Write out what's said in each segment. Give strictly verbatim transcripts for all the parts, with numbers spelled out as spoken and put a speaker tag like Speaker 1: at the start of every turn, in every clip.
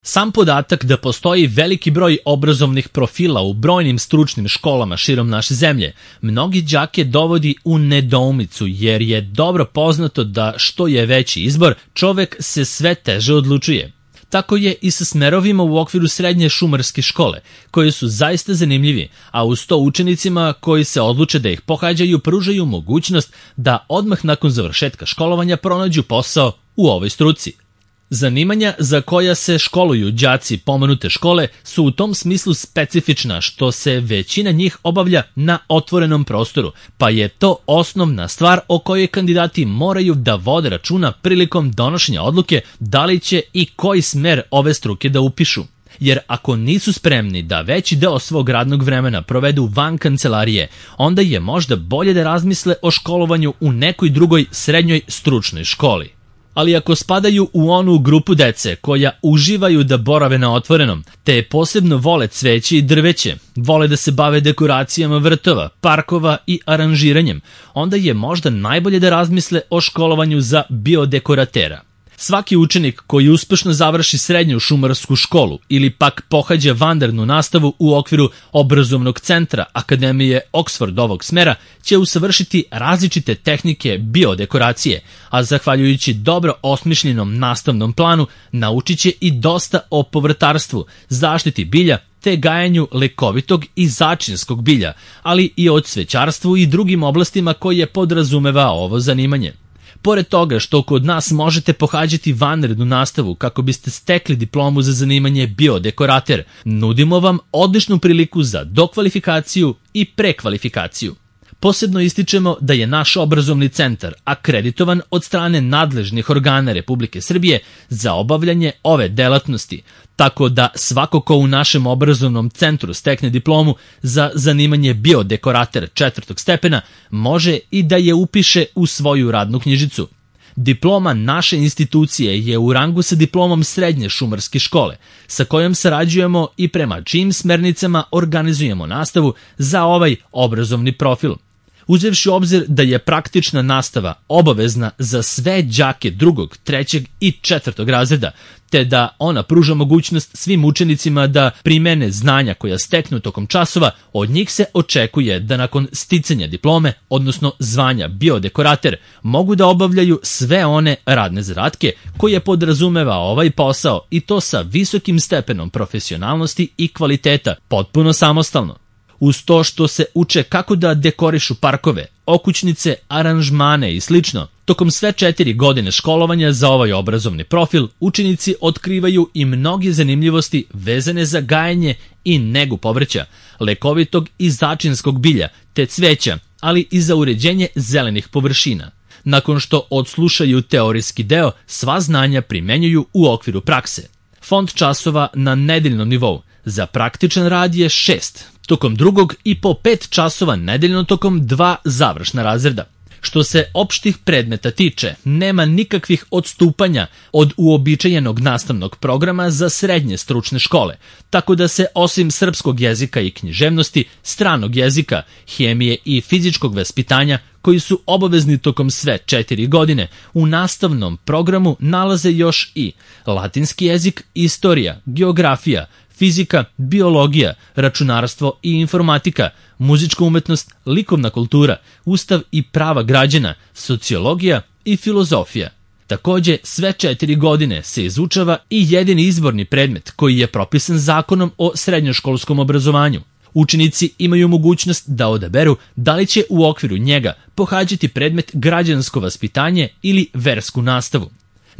Speaker 1: Sam podatak da postoji veliki broj obrazovnih profila u brojnim stručnim školama širom naše zemlje, mnogi đake dovodi u nedoumicu jer je dobro poznato da što je veći izbor, čovek se sve teže odlučuje. Tako je i sa smerovima u okviru srednje šumarske škole, koji su zaista zanimljivi, a uz to učenicima koji se odluče da ih pohađaju pružaju mogućnost da odmah nakon završetka školovanja pronađu posao u ovoj struci. Zanimanja za koja se školuju đaci pomenute škole su u tom smislu specifična što se većina njih obavlja na otvorenom prostoru, pa je to osnovna stvar o kojoj kandidati moraju da vode računa prilikom donošenja odluke da li će i koji smer ove struke da upišu. Jer ako nisu spremni da veći deo svog radnog vremena provedu van kancelarije, onda je možda bolje da razmisle o školovanju u nekoj drugoj srednjoj stručnoj školi. Ali ako spadaju u onu grupu dece koja uživaju da borave na otvorenom, te posebno vole cveće i drveće, vole da se bave dekoracijama vrtova, parkova i aranžiranjem, onda je možda najbolje da razmisle o školovanju za biodekoratera. Svaki učenik koji uspešno završi srednju šumarsku školu ili pak pohađa vanrednu nastavu u okviru obrazovnog centra Akademije Oxford ovog smera će usavršiti različite tehnike biodekoracije, a zahvaljujući dobro osmišljenom nastavnom planu naučit će i dosta o povrtarstvu, zaštiti bilja te gajanju lekovitog i začinskog bilja, ali i o cvećarstvu i drugim oblastima koje podrazumeva ovo zanimanje. Pored toga što kod nas možete pohađati vanrednu nastavu kako biste stekli diplomu za zanimanje biodekorater, nudimo vam odličnu priliku za dokvalifikaciju i prekvalifikaciju. Posebno ističemo da je naš obrazovni centar akreditovan od strane nadležnih organa Republike Srbije za obavljanje ove delatnosti, tako da svako ko u našem obrazovnom centru stekne diplomu za zanimanje biodekorater četvrtog stepena može i da je upiše u svoju radnu knjižicu. Diploma naše institucije je u rangu sa diplomom srednje šumarske škole, sa kojom sarađujemo i prema čijim smernicama organizujemo nastavu za ovaj obrazovni profil. Uzevši u obzir da je praktična nastava obavezna za sve đake drugog, trećeg i četvrtog razreda, te da ona pruža mogućnost svim učenicima da primene znanja koja steknu tokom časova, od njih se očekuje da nakon sticanja diplome, odnosno zvanja biodekorater, mogu da obavljaju sve one radne zadatke koje podrazumeva ovaj posao i to sa visokim stepenom profesionalnosti i kvaliteta, potpuno samostalno. Uz to što se uče kako da dekorišu parkove, okućnice, aranžmane i slično, tokom sve četiri godine školovanja za ovaj obrazovni profil učenici otkrivaju i mnoge zanimljivosti vezane za gajanje i negu povrća, lekovitog i začinskog bilja te cveća, ali i za uređenje zelenih površina. Nakon što odslušaju teorijski deo, sva znanja primenjuju u okviru prakse. Fond časova na nedeljnom nivou za praktičan rad je šest, tokom drugog i po pet časova nedeljno tokom dva završna razreda. Što se opštih predmeta tiče, nema nikakvih odstupanja od uobičajenog nastavnog programa za srednje stručne škole, tako da se osim srpskog jezika i književnosti, stranog jezika, hemije i fizičkog vaspitanja, koji su obavezni tokom sve četiri godine, u nastavnom programu nalaze još i latinski jezik, istorija, geografija, fizika, biologija, računarstvo i informatika, muzička umetnost, likovna kultura, ustav i prava građana, sociologija i filozofija. Takođe, sve četiri godine se izučava i jedini izborni predmet koji je propisan zakonom o srednjoškolskom obrazovanju. Učenici imaju mogućnost da odaberu da li će u okviru njega pohađati predmet građansko vaspitanje ili versku nastavu.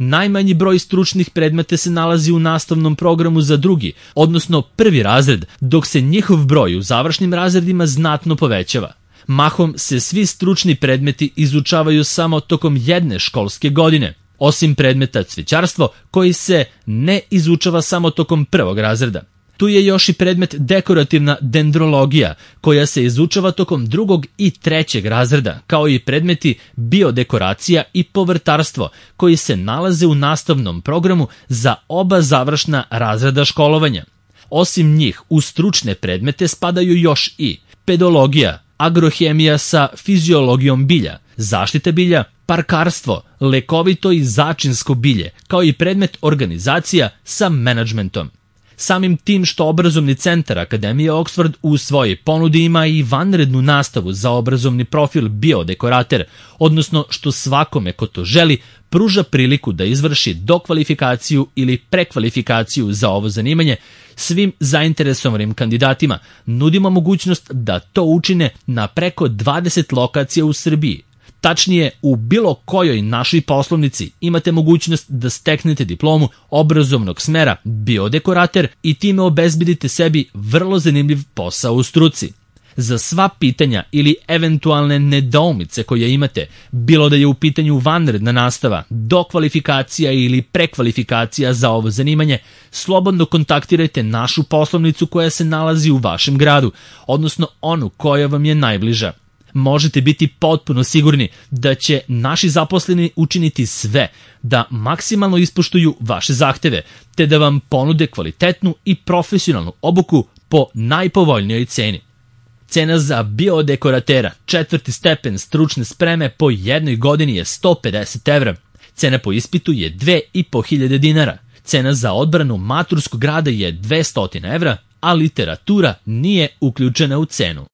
Speaker 1: Najmanji broj stručnih predmeta se nalazi u nastavnom programu za drugi, odnosno prvi razred, dok se njihov broj u završnim razredima znatno povećava. Mahom se svi stručni predmeti izučavaju samo tokom jedne školske godine, osim predmeta cvećarstvo koji se ne izučava samo tokom prvog razreda. Tu je još i predmet dekorativna dendrologija, koja se izučava tokom drugog i trećeg razreda, kao i predmeti biodekoracija i povrtarstvo, koji se nalaze u nastavnom programu za oba završna razreda školovanja. Osim njih, u stručne predmete spadaju još i pedologija, agrohemija sa fiziologijom bilja, zaštita bilja, parkarstvo, lekovito i začinsko bilje, kao i predmet organizacija sa menadžmentom. Samim tim što obrazovni centar Akademije Oxford u svojoj ponudi ima i vanrednu nastavu za obrazovni profil biodekorater, odnosno što svakome ko to želi pruža priliku da izvrši dokvalifikaciju ili prekvalifikaciju za ovo zanimanje, svim zainteresovanim kandidatima nudimo mogućnost da to učine na preko dvadeset lokacija u Srbiji. Tačnije, u bilo kojoj našoj poslovnici imate mogućnost da steknete diplomu obrazovnog smera biodekorater i time obezbedite sebi vrlo zanimljiv posao u struci. Za sva pitanja ili eventualne nedoumice koje imate, bilo da je u pitanju vanredna nastava, dokvalifikacija ili prekvalifikacija za ovo zanimanje, slobodno kontaktirajte našu poslovnicu koja se nalazi u vašem gradu, odnosno onu koja vam je najbliža. Možete biti potpuno sigurni da će naši zaposleni učiniti sve da maksimalno ispoštuju vaše zahteve, te da vam ponude kvalitetnu i profesionalnu obuku po najpovoljnijoj ceni. Cena za biodekoratera četvrti stepen stručne spreme po jednoj godini je sto pedeset evra. Cena po ispitu je dve i po hiljade dinara. Cena za odbranu maturskog rada je dvesta evra, a literatura nije uključena u cenu.